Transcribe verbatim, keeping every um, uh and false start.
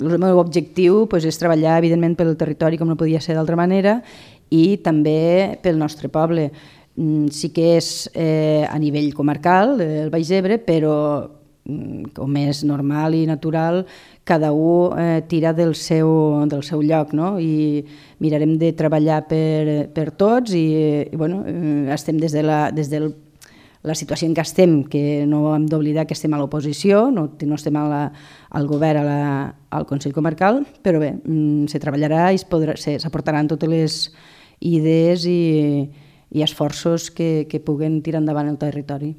el meu objectiu doncs, és treballar, evidentment, pel territori, com no podia ser d'altra manera, i també pel nostre poble. Sí que és eh, a nivell comarcal, el Baix Ebre, però com és normal i natural, cada un eh, tira del seu, del seu lloc, no? I mirarem de treballar per, per tots i, i bueno, estem des de la, des del la situació en què estem, que no hem d'oblidar que estem a l'oposició, no, no estem a la, al govern, a la, al Consell Comarcal, però bé, se treballarà i s'aportaran totes les idees i, i esforços que, que puguen tirar endavant el territori.